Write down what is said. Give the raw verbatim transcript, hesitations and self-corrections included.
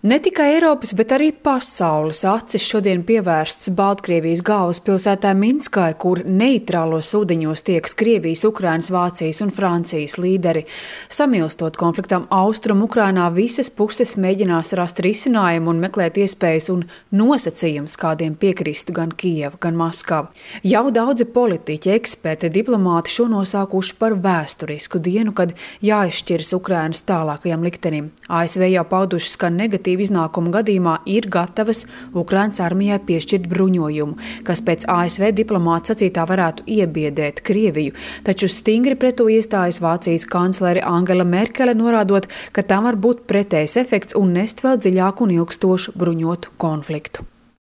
Ne tikai Eiropas, bet arī pasaules acis šodien pievērsts Baltkrievijas galvaspilsētā Minskai, kur neitrālos ūdeņos tiekas Krievijas, Ukrainas, Vācijas un Francijas līderi. Samilstot konfliktam Austrum Ukrainā, visas puses mēģinās rast risinājumu un meklēt iespējas un nosacījumus, kādiem piekristu gan Kijeva, gan Maskava. Jau daudzi politiķi, eksperti, diplomāti šo nosaukuši par vēsturisku dienu, kad jāizšķiras Ukrainas tālākajam liktenim. A S V jau paudušas, ka negatīvi iznākumu gadījumā ir gatavas Ukrainas armijai piešķirt bruņojumu, kas pēc A S V diplomāta sacītā varētu iebiedēt Krieviju, taču stingri pret to iestājas Vācijas kanclere Angela Merkele, norādot, ka tam var būt pretējs efekts un nest vēl dziļāku un ilgstošu bruņotu konfliktu.